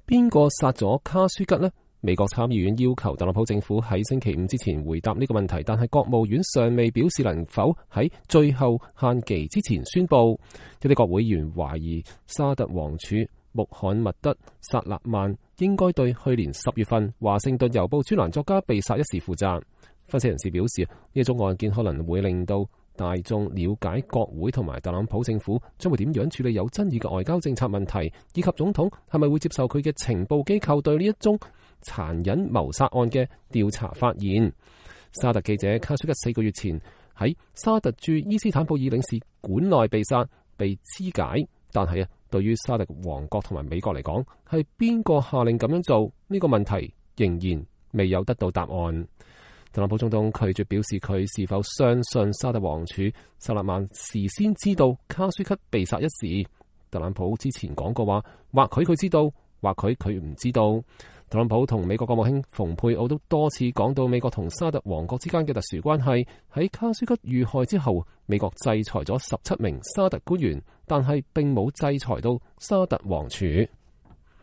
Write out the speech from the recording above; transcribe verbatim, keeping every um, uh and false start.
邊個殺咗卡舒吉呢？美國參議院要求特朗普政府喺星期五之前回答呢個問題，但係國務院尚未表示能否喺最後限期之前宣布。一啲國會議員懷疑沙特王儲穆罕默德·薩勒曼應該對去年十月份華盛頓郵報專欄作家被殺一事負責。分析人士表示，呢一宗案件可能會令到大眾了解國會同埋特朗普政府將會點樣處理有爭議嘅外交政策問題，以及總統係咪會接受佢嘅情報機構對呢一宗殘忍謀殺案嘅調查發現。沙特記者卡舒吉四個月前喺沙特駐伊斯坦布爾領事館內被殺，被肢解。但係啊，對於沙特王國同埋美國嚟講，係邊個下令咁樣做呢個問題仍然未有得到答案。特朗普總統拒絕表示佢是否相信沙特王儲薩勒曼事先知道卡舒吉被殺一事。特朗普之前講過話，或許佢知道，或許佢唔知道。特朗普同美國國務卿蓬佩奧都多次講到美國同沙特王國之間嘅特殊關係。喺卡舒吉遇害之後，美國制裁咗十七名沙特官員，但係並冇制裁到沙特王儲。